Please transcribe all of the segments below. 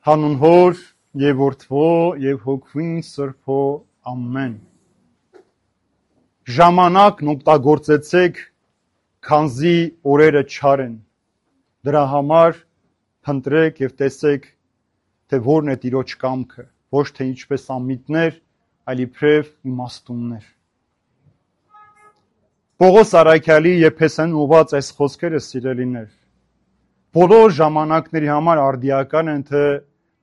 Հանուն Հոր եւ Որդվո եւ Հոգվին Սրբո ամեն։ Ժամանակն օգտագործեցեք, քանզի օրերը չար են։ Դրա համար փնտրեք եւ տեսեք, թե որն է Տիրոջ կամքը, ոչ թե ինչպես անմիտներ, այլ իբրև իմաստուններ։ Պողոս Արաքյալի Եփեսյան ուղված այս խոսքերը սիրելիներ, բոլոր ժամանակների համար արդիական են, թե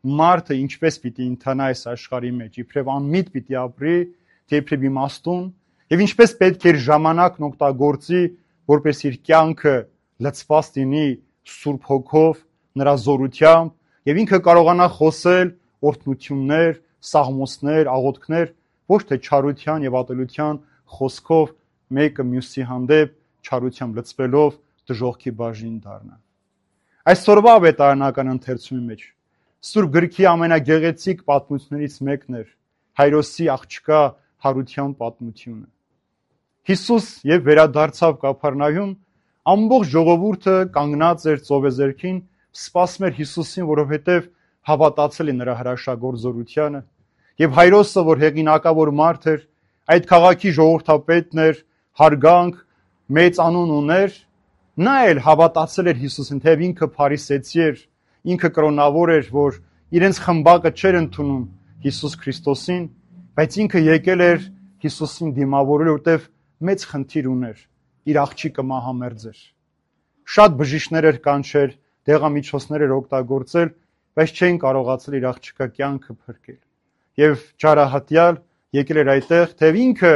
մարդը ինչպես պիտի ընթանա այս աշխարհի մեջ, իբրև անմիտ պիտի ապրի, թե իբրև իմաստուն, եւ ինչպես պետք է ժամանակն օգտագործի, որպես իր կյանքը լցված լինի Սուրբ Հոգով, նրա զորությամբ, եւ ինքը կարողանա խոսել օրհնություններ, սաղմոսներ, աղոթքներ, ոչ թե չարության եւ ատելության խոսքով մեկը մյուսի հանդեպ չարությամբ լցվելով դժոխքի բաժին դառնա։ Այսօրվա ավետարանական ընթերցումի մեջ Սուրբ գրքի ամենագեղեցիկ պատմություններից մեկն էր Հայրոսի աղջկա հարության պատմությունը։ Հիսուս եւ վերադարձավ Կափառնայում, ամբողջ ժողովուրդը կանգնած էր ծովեզերքին, սպասում էր Հիսուսին, որովհետեւ հավատացել է նրա հրաշագործ զորությանը, եւ Հայրոսը, որ հեղինակավոր մարդ էր, այդ քաղաքի ժողովրդապետն էր, հարգանք, մեծ անուն ուներ, նա էլ հավատացել էր Հիսուսին, թեև ինքը փարիսեցի էր, ինքը կրոնավոր էր, որ իրենց խմբակը չէր ընդունում Հիսուս Քրիստոսին, բայց ինքը եկել էր Հիսուսին դիմավորել, որտեվ մեծ խնդիր ուներ, իր աղջիկը մահամերձ էր։ Շատ բժիշկներ էր կանչել, դեղամիջոցներ էր օգտագործել, բայց չէին կարողացել իր աղջիկա կյանքը փրկել։ Եվ ճարահատյալ եկել էր այդտեղ, թեև ինքը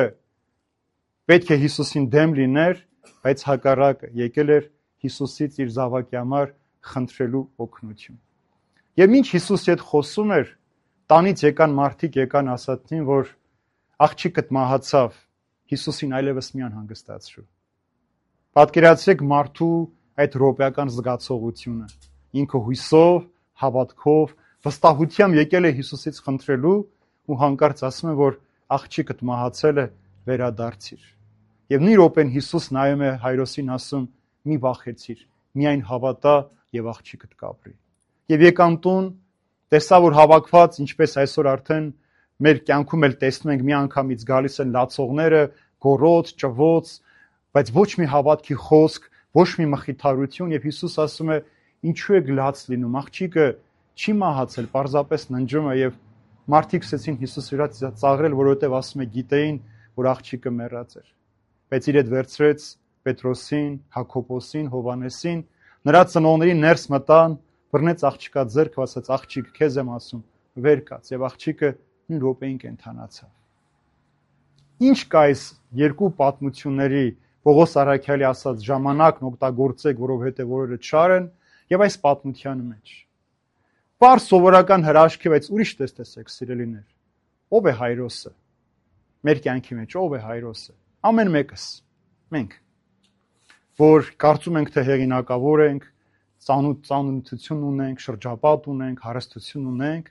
պետք է Հիսուսին դեմ լիներ, բայց հակառակը եկել էր Հիսուսից իր զավակի համար խնդրելու օգնություն։ Եվ ինչ Հիսուսի հետ խոսում էր, տանից եկան մարդիկ, եկան ասացին, որ աղջիկդ մահացավ, Հիսուսին այլևս մի անհանգստացրու։ Պատկերացրեք մարդու այդ ռոպեական զգացողությունը։ Ինքը հույսով, հավատքով, վստահությամբ եկել է Հիսուսից խնդրելու ու հանկարծ ասում է, որ աղջիկդ մահացել է, վերադարձիր։ Եվ նույն րոպեն Հիսուս նայում է Հայրոսին, ասում՝ մի վախեցիր, միայն հավատա եւ աղջիկդ կապրի։ Եվ եկան տուն, տեսա, որ հավաքված, ինչպես այսօր արդեն մեր կյանքում էլ տեսնում ենք, մի անգամից գալիս են լացողները, գոռոց, ճվոց, բայց ոչ մի հավատքի խոսք, ոչ մի մխիթարություն, եւ Հիսուս ասում է, ինչու եք լաց լինում, աղջիկը չի մահացել, պարզապես ննջում է, եւ մարդիկ սկսեցին Հիսուսի վրա ծաղրել, որովհետեւ ասում է, գիտեին, որ աղջիկը մեռած էր։ Բայց իր հետ վերցրեց Պետրոսին, Հակոբոսին, Հովանեսին, նրա ծնողներին ներս մտան, բռնեց աղջիկա ձեռքը, ասաց, աղջիկ, քեզ եմ ասում, վեր կաց, եւ աղջիկը նույն րոպեին կենդանացավ։ Ինչ կա այս երկու պատմությունների, Պողոս Արաքյալի ասած ժամանակն օգտագործեք, որովհետեւ օրերը չար են, եւ այս պատմության մեջ։ Պարզ սովորական հրաշք է, բայց ուրիշ տեսեք, սիրելիներ։ Ո՞վ է Հայրոսը։ Մեր կյանքի մեջ ո՞վ է Հայրոսը։ Ամեն մեկս, մենք, որ կարծում ենք, թե հեղինակավոր ենք, ծանոթություն ունենք, շրջապատ ունենք, հարստություն ունենք,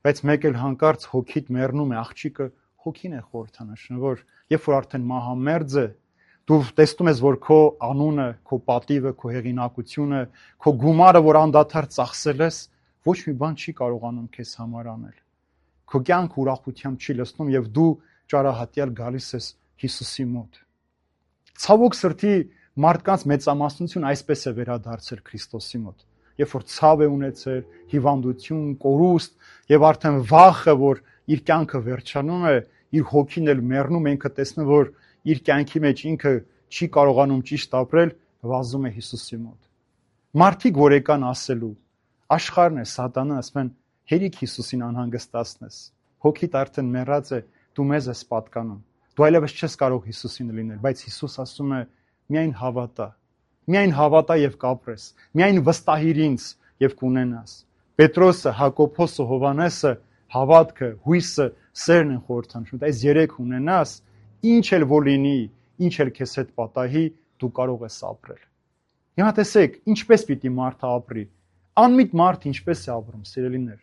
բայց մեկ էլ հանկարծ հոգիդ մեռնում է, աղջիկը հոգին է խորհրդանշում, որ երբ որ արդեն մահամերձ է, դու տեսնում ես, որ քո անունը, քո պատիվը, քո հեղինակությունը, քո գումարը, որ անդադար ծախսել ես, ոչ մի բան չի կարողանում քեզ համար անել։ Քո կյանքը ուրախությամբ չի լցնում եւ դու ճարահատյալ գալիս ես Հիսուսի մոտ։ Ցավոք սրտի մարդկանց մեծամասնություն այսպես է վերադարձել Քրիստոսի մոտ, երբ որ ցավ է ունեցել, հիվանդություն, կորուստ եւ արդեն վախը, որ իր կյանքը վերջանում է, իր հոգին էլ մեռնում, ինքը տեսնում, որ իր կյանքի մեջ ինքը չի կարողանում ճիշտ ապրել, վազում է Հիսուսի մոտ։ Մարդիկ, որ եկան ասելու, աշխարհն է, սատանան, ասում են, հերիք Հիսուսին անհանգստացնես, հոգիդ արդեն մեռած է, դու մեզ ես պատկանում, դու այլևս չես կարող Հիսուսին լինել, բայց Հիսուս ասում է, միայն հավատա եւ կապրես, միայն վստահիր ինձ եւ կունենաս։ Պետրոսը, Հակոբոսը, Հովանեսը հավատքը, հույսը, սերն են խորհրդանշում, այս երեք ունենաս, ինչ էլ որ լինի, ինչ էլ քեզ հետ պատահի, դու կարող ես ապրել։ Հիմա տեսեք, ինչպես պիտի մարդը ապրի։ Անմիտ մարդ ինչպես է ապրում, սիրելիներ։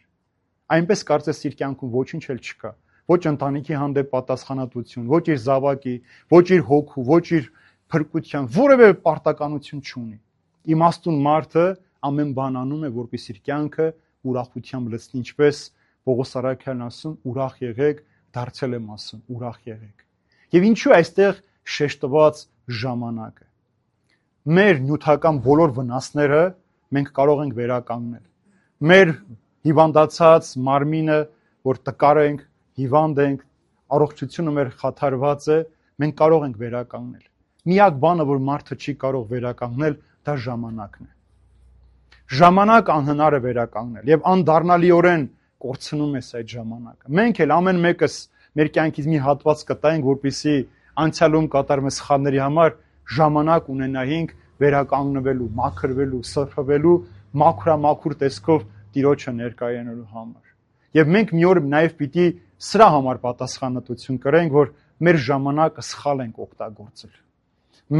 Այնպես կարծես իր կյանքում ոչինչ էլ չկա, ոչ ընտանիքի հանդեպ պատասխանատվություն, ոչ իր զավակի, ոչ իր հոգու, ոչ իր փրկության, որևէ պարտականություն չունի։ Իմաստուն մարդը ամեն բան անում է, որպեսզի իր կյանքը ուրախությամբ լցնի, ինչպես Պողոս առաքյալն ասում, ուրախ եղեք, դարձել եմ ասում, ուրախ եղեք։ Եվ ինչու այստեղ շեշտված ժամանակը։ Մեր նյութական բոլոր վնասները մենք կարող ենք վերականգնել։ Մեր հիվանդացած մարմինը, որ տկար ենք, հիվանդ ենք, առողջությունը մեր խաթարված է, մենք կարող ենք վերականգնել։ Միակ բանը, որ մարդը չի կարող վերականգնել, դա ժամանակն է։ Ժամանակ անհնար է վերականգնել եւ անդառնալիորեն կորցնում ես այդ ժամանակը։ Մենք էլ ամեն մեկս մեր կյանքից մի հատված կտայինք, որպեսզի անցյալում կատարած սխալների համար ժամանակ ունենայինք վերականգնվելու, մաքրվելու, սրբվելու, մաքուր տեսքով Տիրոջը ներկայանալու համար։ Եվ մենք մի օր նաև պիտի սրա համար պատասխանատվություն կրենք, որ մեր ժամանակը սխալ ենք օգտագործել։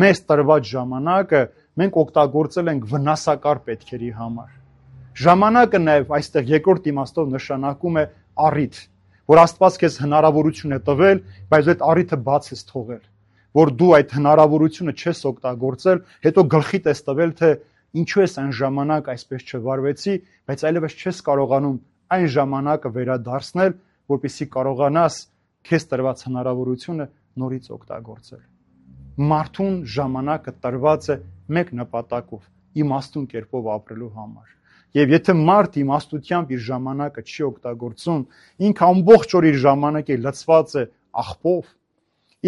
Մեզ տրված ժամանակը մենք օգտագործել ենք վնասակար պետքերի համար։ Ժամանակը նաև այստեղ երկրորդ իմաստով նշանակում է առիթ, որ Աստված քեզ հնարավորություն է տվել, բայց այդ առիթը բաց ես թողել, որ դու այդ հնարավորությունը չես օգտագործել, հետո գլխիդ ես տվել, թե ինչու ես այն ժամանակ այսպես չվարվեցի, բայց այլևս չես կարողանում այն ժամանակը վերադարձնել, որպեսզի կարողանաս քեզ տրված հնարավորությունը նորից օգտագործել։ Մարդուն ժամանակը տրված է մեկ նպատակով՝ իմաստուն կերպով ապրելու համար։ Եվ եթե մարդ իմաստությամբ իր ժամանակը չի օգտագործում, ինքը ամբողջ օր իր ժամանակը լցված է աղբով,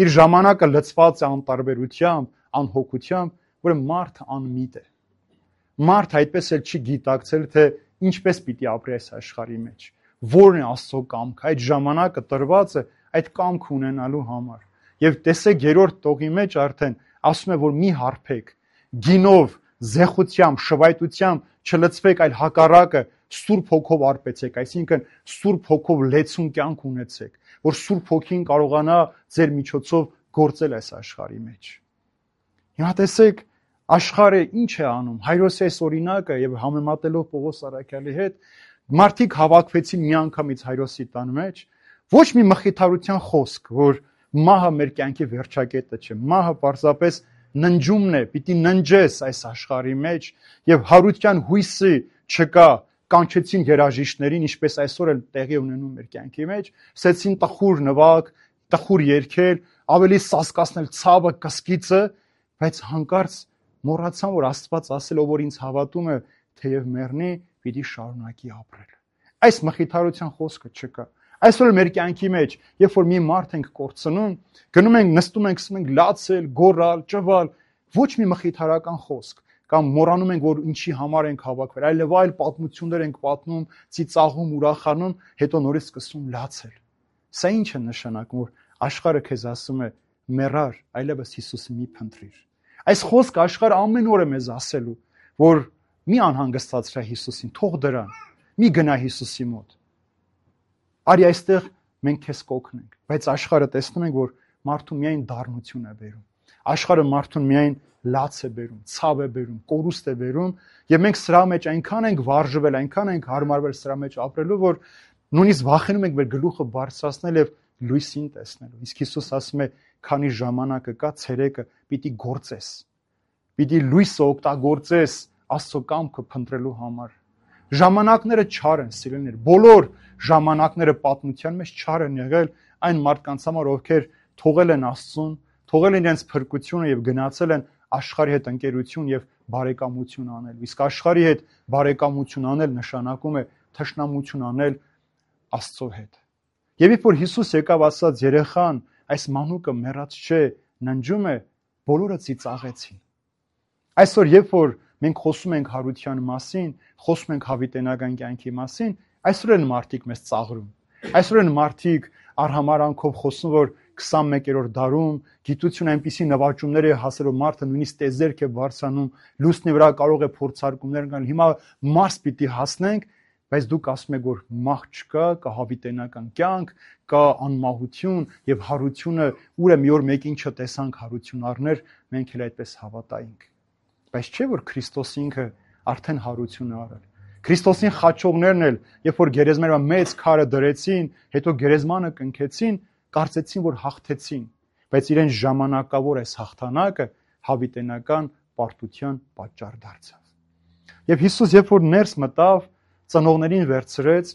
իր ժամանակը լցված է անտարբերությամբ, անհոգությամբ, որ մարդը անմիտ է։ Մարդ այդպես էլ չի գիտակցել, թե ինչպես պիտի ապրի այս աշխարհի մեջ, որն է Աստծո կամքը, այդ ժամանակը տրված է այդ կամքը ունենալու համար։ Եվ տեսեք երրորդ տողի մեջ արդեն ասում է, որ մի հարբեք, գինով, զեղությամբ, շվայտությամբ չլցվեք, այլ հակառակը Սուրբ Հոգով արբեցեք, այսինքն Սուրբ Հոգով լեցուն կյանք ունեցեք, որ Սուրբ Հոգին կարողանա ձեր միջոցով գործել այս աշխարհի մեջ։ Հիմա տեսեք, աշխարհը ինչ է անում, Հայրոսի այս օրինակը եւ համեմատելով Պողոս առաքյալի հետ, մարդիկ հավաքվեցին միանգամից Հայրոսի տան մեջ, ոչ մի մխիթարության խոսք, որ մահը մեր կյանքի վերջակետը չէ, մահը պարզապես ննջումն է, պիտի ննջես այս աշխարհի մեջ եւ հարության հույսի չկա, կանչեցին երաժիշտներին, ինչպես այսօր էլ տեղի ունենում մեր կյանքի մեջ, ասեցին տխուր նվագ, տխուր երգեր, ավելի սասկացնել ցավը, կսկիծը, բայց հանկարծ մոռացան, որ Աստված ասել, ով որ ինձ հավատում է, թեև մեռնի, պիտի շարունակի ապրել։ Այս մխիթարության խոսքը չկա։ Այսօր մեր կյանքի մեջ, երբ որ մի մարդ ենք կորցնում, գնում ենք, նստում ենք, սկսում ենք լացել, գոռալ, ճվալ, ոչ մի մխիթարական խոսք, կամ մոռանում ենք, որ ինչի համար ենք հավաքվել, այլ պատմություններ ենք պատմում, ծիծաղում, ուրախանում, հետո նորից սկսում լացել։ Սա ինչ է նշանակում, որ աշխարհը քեզ ասում է՝ մեռար, այլևս Հիսուսը մի փնտրիր։ Այս խոսքը աշխարհը ամեն օր է մեզ ասելու, որ մի անհանգստացրա Հիսուսին, թող դրան, մի գնա Հիսուսի մոտ։ Արի այստեղ մենք քեզ կօգնենք, բայց աշխարհը տեսնում ենք, որ մարդուն միայն դառնություն է բերում։ Աշխարհը մարդուն միայն լաց է բերում, ցավ է բերում, կորուստ է բերում, եւ մենք սրա մեջ այնքան ենք վարժվել, այնքան ենք հարմարվել սրա մեջ ապրելու, որ նույնիսկ վախենում ենք մեր գլուխը բարձրացնել եւ լույսին տեսնելու։ Իսկ Հիսուս ասում է, քանի ժամանակը կա, ցերեկը պիտի գործես։ Պիտի լույսը օգտագործես Աստծո կամքը փնտրելու համար։ Ժամանակները չար են, սիրելիներ, բոլոր ժամանակները պատմության մեջ չար են եղել այն մարդկանց համար, ովքեր թողել են Աստծուն, թողել են իրենց փրկությունը եւ գնացել են աշխարհի հետ ընկերություն եւ բարեկամություն անել։ Իսկ աշխարհի հետ բարեկամություն անել նշանակում է թշնամություն անել Աստծո հետ։ Եվ երբ որ Հիսուս եկավ, ասաց երեխան, այս մանուկը մեռած չէ, ննջում է, բոլորը ծիծաղեցին։ Այսօր երբ որ մենք խոսում ենք հարության մասին, խոսում ենք հավիտենական կյանքի մասին, այսօր են մարդիկ մեզ ծաղրում։ Այսօր են մարդիկ արհամարանքով խոսում, որ 21-րդ դարում գիտությունը այնպիսի նվաճումներ է հասել, որ մարդը նույնիսկ տեզերք է բարձրանում, լուսնի վրա կարող է փորձարկումներ կան։ Հիմա Մարս պիտի հասնենք, բայց դուք ասում եք, որ մահ չկա, կա հավիտենական կյանք, կա անմահություն եւ հարությունը, ուր է մի օր մեկին չտեսանք հարություն առներ, մենք էլ այդպես հավատայինք։ Բայց չէ՞ որ Քրիստոս ինքը արդեն հարություն է արել։ Քրիստոսին խաչողներն էլ, երբ որ գերեզմանը մեծ քարը դրեցին, հետո գերեզմանը կնքեցին, կարծեցին, որ հաղթեցին, բայց իրենց ժամանակավոր այս հաղթանակը հավիտենական պարտության պատճառ դարձավ։ Եվ Հիսուս երբ որ ներս մտավ, ծնողներին վերցրեց,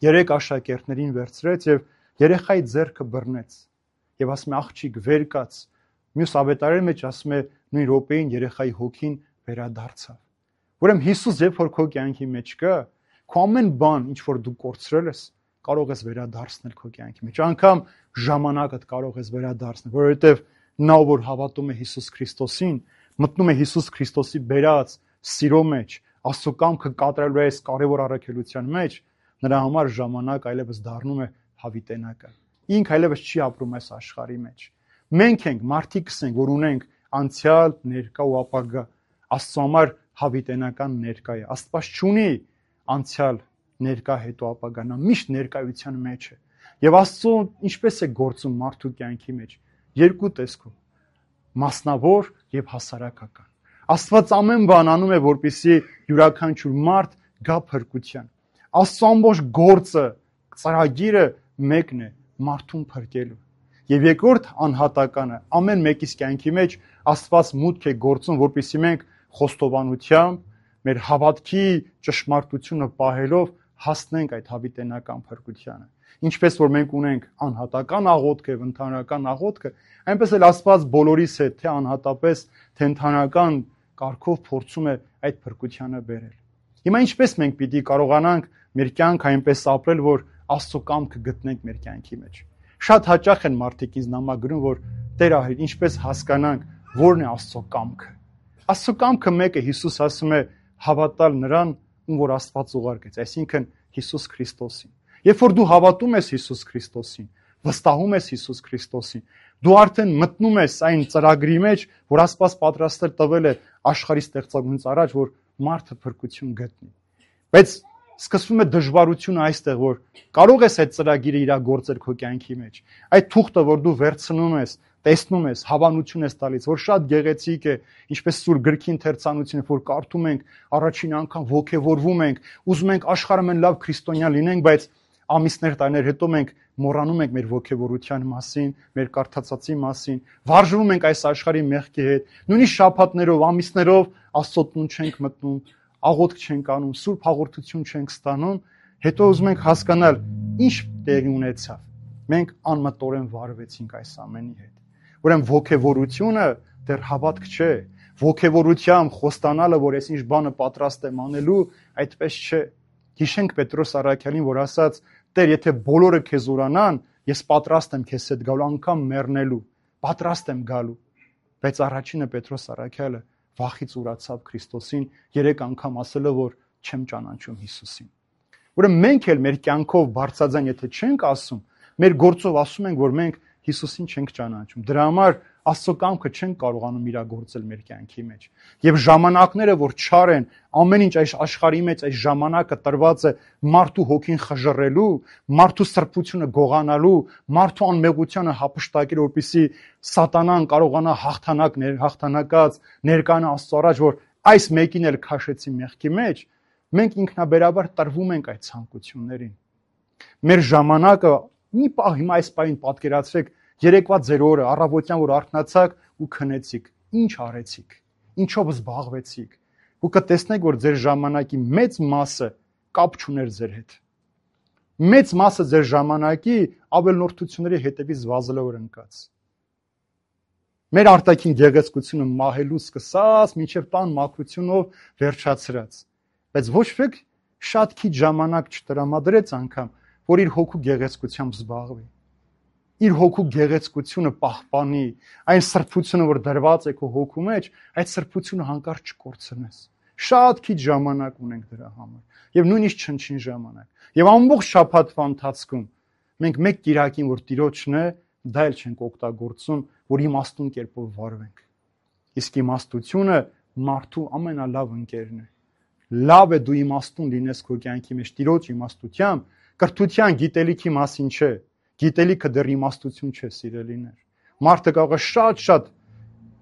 3 աշակերտներին վերցրեց եւ երեխայի ձեռքը բռնեց։ Եվ ասում է աղջիկ վեր կաց։ Մյուս ավետարանի մեջ ասում է նույն րոպեին երեխայի հոգին վերադարձավ։ Ուրեմն Հիսուս երբ որ քո կյանքի մեջ կա, քո ամեն բան, ինչ որ դու կորցրել ես, կարող ես վերադարձնել քո կյանքի մեջ։ Անկամ ժամանակդ կարող ես վերադարձնել, որովհետև նա որ հավատում է Հիսուս Քրիստոսին, մտնում է Հիսուս Քրիստոսի բերած սիրո մեջ, Աստծո կամքը կատարելու այս կարևոր առաքելության մեջ, նրա համար ժամանակ այլևս դառնում է հավիտենական։ Ինք այլևս չի ապրում այս աշխարհի մեջ։ Մենք ենք մարդիկ ենք, որ ունենք անցյալ, ներկա ու ապագա։ Աստծո համար հավիտենական ներկա է։ Աստված չունի անցյալ, ներկա, հետո ապագա, նա միշտ ներկայության մեջ է։ Եվ Աստծո ինչպես է գործում մարդու կյանքի մեջ։ Երկու տեսքով՝ մասնավոր եւ հասարակական։ Աստված ամեն բան անում է, որպեսզի յուրաքանչյուր մարդ գա փրկության։ Աստծո ամբողջ գործը, ծրագիրը մեկն է՝ մարդուն փրկելու։ Եվ երկրորդ անհատականը, ամեն մեկիս կյանքի մեջ Աստված մուտք է գործում, որպեսզի մենք խոստովանությամբ, մեր հավատքի ճշմարտությունը պահելով հասնենք այդ հավիտենական փրկությանը։ Ինչպես որ մենք ունենք անհատական աղոթքը, ընդհանրական աղոթքը, այնպես էլ Աստված բոլորիս հետ, թե անհատապես, թե ընդհանրական կարգով փորձում է այդ փրկությանը բերել։ Հիմա ինչպես մենք պիտի կարողանանք մեր կյանքը այնպես ապրել, որ Աստծո կամքը գտնենք մեր կյանքի մեջ։ Շատ հաճախ են մարդիկ ինձ նամակագրում, որ Տեր ահա ինչպես հասկանանք որն է Աստծո կամքը։ Աստծո կամքը մեկը, Հիսուս ասում է հավատալ նրան, ում որ Աստված ուղարկեց, այսինքն Հիսուս Քրիստոսին։ Երբ որ դու հավատում ես Հիսուս Քրիստոսին, վստահում ես Հիսուս Քրիստոսին, դու արդեն մտնում ես այն ծրագրի մեջ, որ Աստված պատրաստել տվել է աշխարհի ստեղծագնուց առաջ, որ մարդը փրկություն գտնի։ Բայց սկսվում է դժվարությունը այստեղ, որ կարող ես այդ ծրագիրը իրագործել քո կյանքի մեջ։ Այդ թուղթը, որ դու վերցնում ես, տեսնում ես, հավանություն ես տալիս, որ շատ գեղեցիկ է, ինչպես Սուրբ գրքի ընթերցանությունը, որ կարդում ենք, առաջին անգամ ոգևորվում ենք, ուզում ենք աշխարհը մեն լավ քրիստոնյա լինենք, բայց ամիսներ, տարիներ հետո մենք մոռանում ենք մեր ոգևորության մասին, մեր կարդացածի մասին, վարժվում ենք այս աշխարհի մեղքի հետ, նույնիսկ շաբաթներով, ամիսներով Աստծո տուն չենք մտնում, աղոթք չենք անում, սուրբ հաղորդություն չենք ստանում, հետո ուզում ենք հասկանալ ինչ տեղի ունեցավ։ Մենք անմտորեն վարվեցինք այս ամենի հետ։ Ուրեմն ոգևորությունը դեռ հավատք չէ։ Ոգևորությամբ խոստանալը, որ ես ինչ բանը պատրաստ եմ անելու, այդպես չէ։ Հիշենք Պետրոս առաքյալին, որ ասաց. Տեր, եթե բոլորը քեզ ուրանան, ես պատրաստ եմ քեզ հետ գալու, անգամ մեռնելու, պատրաստ եմ գալու։ Բայց առաջինը Պետրոս առաքյալը վախից ուրացավ Քրիստոսին, 3 անգամ ասելով, որ չեմ ճանաչում Հիսուսին։ Ուրեմն մենք էլ մեր կյանքով բարձրաձայն եթե չենք ասում, մեր գործով ասում ենք, որ մենք Հիսուսին չենք ճանաչում։ Դրա համար Աստծո կամքը չենք կարողանում իրագործել մեր կյանքի մեջ։ Եվ ժամանակները, որ չար են, ամեն ինչ այս աշխարհի մեջ այս ժամանակը տրված է մարդու հոգին խժռելու, մարդու սրբությունը գողանալու, մարդու անմեղությանը հափշտակել, որպեսզի սատանան կարողանա հաղթանակած ներկանա Աստծո առաջ, որ այս մեկին էլ քաշեցի մեղքի մեջ, մենք ինքնաբերաբար տրվում ենք այդ ցանկություններին։ Մեր ժամանակը մի պահ հիմա այս պահին պատկերացրեք, երեկվա ձեր օրը, առավոտյան որ արթնացաք ու քնեցիք, ինչ արեցիք, ինչով զբաղվեցիք, ու կտեսնեք, որ ձեր ժամանակի մեծ մասը կապ չուներ ձեր հետ։ Մեծ մասը ձեր ժամանակի ավելնորդությունների հետևից վազելով ընկած։ Մեր արտաքին գեղեցկությունը մահելու սկսած, մինչև տան մաքրությունով վերջացրած։ Բայց ոչ ոք շատ քիչ ժամանակ չտրամադրեց անգամ, որ իր հոգու գեղեցկությամբ զբաղվի։ Իր հոգու գեղեցկությունը պահպանի, այն սրբությունը, որ դրված է քո հոգու մեջ, այդ սրբությունը հանկարծ չկորցնես։ Շատ քիչ ժամանակ ունենք դրա համար, եւ նույնիսկ չնչին ժամանակ։ Եվ ամբողջ շաբաթվա ընթացքում մենք մեկ կիրակին, որ Տիրոջն է, դա էլ չենք օգտագործում, որ իմաստուն կերպով վարվենք։ Իսկ իմաստությունը մարդու ամենալավ ընկերն է։ Լավ է դու իմաստուն լինես քո կյանքի մեջ Տիրոջ իմաստությամբ, կրթության, գիտելիքի մասին չէ։ Գիտելիքը դեռ իմաստություն չէ, սիրելիներ։ Մարդը կարող է շատ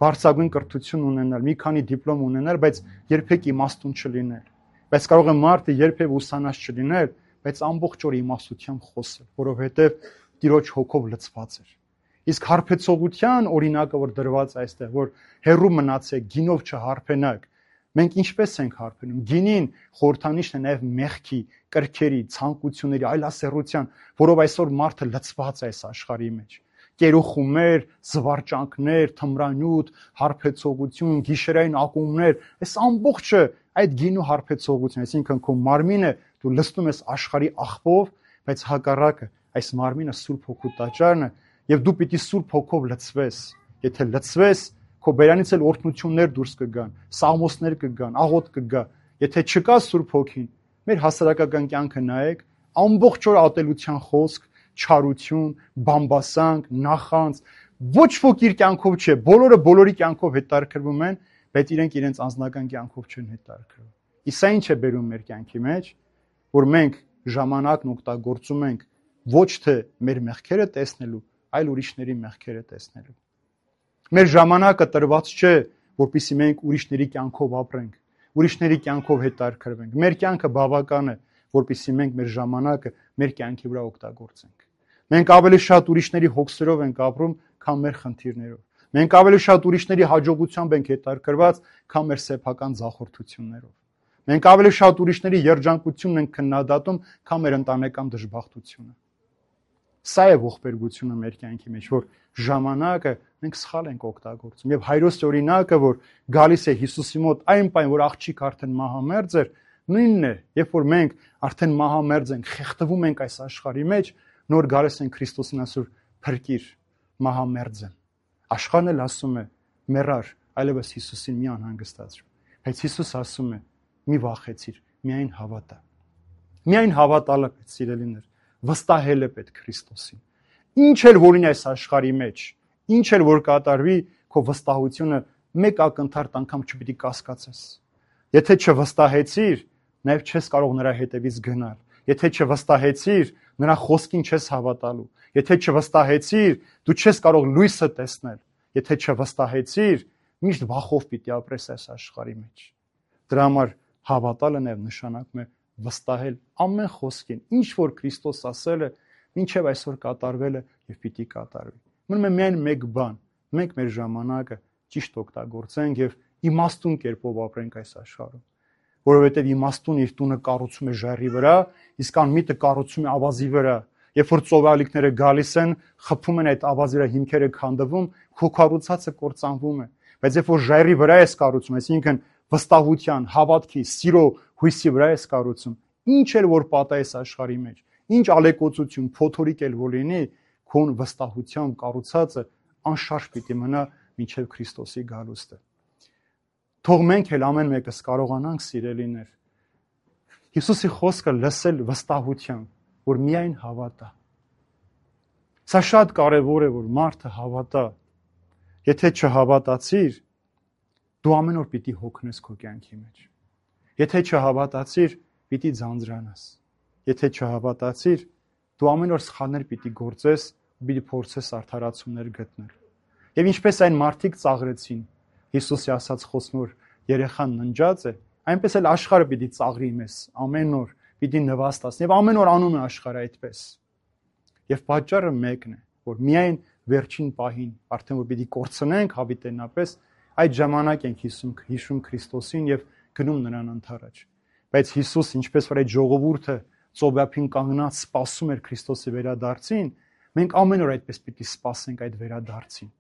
բարձրագույն կրթություն ունենալ, մի քանի դիպլոմ ունենալ, բայց երբեք իմաստուն չլինել։ Բայց կարող է մարդը երբեք ուսանած չլինել, բայց ամբողջ օր իմաստությամբ խոսել, որովհետև Տիրոջ հոգով լցված էր։ Իսկ հարբեցողության օրինակը, որ դրված է այստեղ, որ հերրու մնացեք, գինով չհարբենաք, Մենք ինչպես ենք հարբնում։ Գինին խորհրդանիշն է նաև մեղքի, կրքերի, ցանկությունների, այլասեռության, որով այսօր մարդը լցված է այս աշխարհի մեջ։ Կերոխումներ, զվարճանքներ, թմրանյութ, հարբեցողություն, գիշերային ակումբներ, այս ամբողջը այդ գինու հարբեցողություն, այսինքն քո մարմինը դու լցնում ես աշխարհի աղբով, բայց հակառակը այս մարմինը Սուրբ Հոգու տաճարն է, եւ դու պիտի Սուրբ Հոգով լցվես։ Եթե լցվես, քո բերանից էլ օրհնություններ դուրս կգան, սաղմոսներ կգան, աղոթ կգա։ Եթե չկա Սուրբ Հոգին, մեր հասարակական կյանքը նայեք, ամբողջ օր ատելության խոսք, չարություն, բամբասանք, նախանց, ոչ ոք իր կյանքով չէ, բոլորը բոլորի կյանքով հետարքրվում են, բայց իրենք իրենց անձնական կյանքով չեն հետարքրվում։ Իսկ սա ինչ է բերում մեր կյանքի մեջ, որ մենք ժամանակն օգտագործում ենք ոչ թե մեր մեղքերը տեսնելու, այլ ուրիշների մեղքերը տեսնելու։ Մեր ժամանակը տրված չէ, որպեսզի մենք ուրիշների կյանքով ապրենք, ուրիշների կյանքով հետարքրվենք։ Մեր կյանքը բավական է, որպեսզի մենք մեր ժամանակը մեր կյանքի վրա օգտագործենք։ Մենք ավելի շատ ուրիշների հոգսերով ենք ապրում, քան մեր խնդիրներով։ Մենք ավելի շատ ուրիշների հաջողությամբ ենք հետարքրված, քան մեր սեփական ձախորդություններով։ Մենք ավելի շատ ուրիշների երջանկությունն ենք քննադատում, քան մեր ընտանեկան դժբախտությունը։ Սա է ողբերգությունը մեր կյանքի մեջ, որ ժամանակը մենք սխալ ենք օգտագործում։ Եվ Հայրոց օրինակը, որ գալիս է Հիսուսի մոտ այն պայն, որ աղջիկ արդեն մահամերձ էր, նույնն է, երբ որ մենք արդեն մահամերձ ենք, խեղդվում ենք այս աշխարհի մեջ, նոր գալիս են Քրիստոսին ասում փրկիր, մահամերձ եմ։ Աշխարհն էլ ասում է մեռար, այլևս Հիսուսին մի անհանգստացրու։ Բայց Հիսուս ասում է մի վախեցիր, միայն հավատա։ Միայն հավատալը պետք, սիրելիներ, վստահել է պետք Քրիստոսին։ Ինչ էլ որ լինի այս աշխարհի մեջ, ինչ էլ որ կատարվի, քո վստահությունը մեկ ակնթարթ անգամ չպիտի կասկածես։ Եթե չվստահեցիր, նաև չես կարող նրա հետևից գնալ։ Եթե չվստահեցիր, նրա խոսքին չես հավատալու։ Եթե չվստահեցիր, դու չես կարող լույսը տեսնել։ Եթե չվստահեցիր, միշտ վախով պիտի ապրես այս աշխարհի մեջ։ Դրա համար հավատալը նաև նշանակում է վստահել ամեն խոսքին, ինչ որ Քրիստոս ասել է, մինչև այսօր կատարվել է եւ պիտի կատարվի։ Մնում է միայն մեկ բան, մենք մեր ժամանակը ճիշտ օգտագործենք եւ իմաստուն կերպով ապրենք այս աշխարհում, որովհետեւ իմաստուն իր տունը կառուցում է ժայռի վրա, իսկ անմիտը կառուցում է ավազի վրա։ Երբ որ ծովալիքները գալիս են, խփում են այդ ավազի վրա, հիմքերը քանդվում, քո կառուցածը կործանվում է։ Բայց երբ որ ժայռի վրա ես կառուցում, այսինքն վստահության, հավատքի, սիրո, հույսի վրա ես կառուցում, ինչ էլ որ պատահես աշխարհի մեջ, ինչ ալեկոծություն, փոթորիկ էլ որ լինի, քո վստահությամբ կառուցածը անշարժ պիտի մնա մինչև Քրիստոսի գալուստը։ Թող մենք էլ ամեն մեկս կարողանանք, սիրելիներ, Հիսուսի խոսքը լսել վստահությամբ, որ միայն հավատա։ Սա շատ կարևոր է, որ մարդը հավատա։ Եթե չհավատացիր, դու ամեն օր պիտի հոգնես քո կյանքի մեջ։ Եթե չհավատացիր, պիտի ձանձրանաս։ Եթե չհավատացիր, դու ամեն օր սխալներ պիտի գործես, պիտի փորձես արդարացումներ գտնել։ Եվ ինչպես այն մարդիկ ծաղրեցին, Հիսուսի ասած խոսքն, որ երեխան ննջած է, այնպես էլ աշխարհը պիտի ծաղրի մեզ ամեն օր, պիտի նվաստացնի, եւ ամեն օր անում է աշխարհը այդպես։ Եվ պատճառը մեկն է, որ միայն վերջին պահին, արդեն որ պիտի կորցնենք հավիտենապես, այդ ժամանակ ենք հիշում Քրիստոսին եւ գնում նրան ընդառաջ։ Բայց Հիսուս, ինչպես որ այդ ժողովուրդը ծովափին կանգնած սպասում էր Քրիստոսի վերադարձին, մենք ամեն օր այդպես պիտի սպասենք այդ վերադարձին։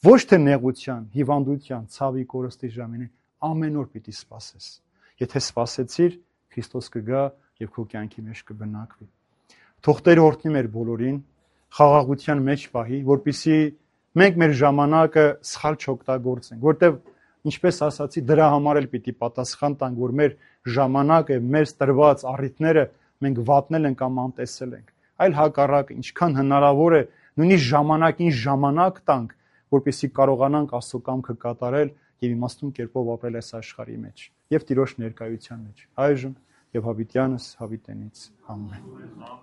Ոչ թե նեղության, հիվանդության, ցավի, կորստի ժամին, ամեն օր պիտի սպասես։ Եթե սպասեցիր, Քրիստոս կգա եւ քո կյանքի մեջ կբնակվի։ Թող Տերը օրհնի մեր բոլորին, խաղաղության մեջ պահի, որպեսզի մենք մեր ժամանակը սխալ չօգտագործենք, որտեվ ինչպես ասացի, դրա համար էլ պիտի պատասխան տանք, որ մեր ժամանակը, մեր տրված առիթները մենք վատնել ենք կամ անտեսել ենք։ Այլ հակառակը, ինչքան հնարավոր է, նույնիսկ ժամանակին ժամանակ տանք, որպեսզի կարողանանք Աստծո կամքը կատարել եւ իմաստուն կերպով ապրել այս աշխարհի մեջ եւ Տիրոջ ներկայության մեջ։ Այժմ եւ հավիտյանս հավիտենից։ Ամեն։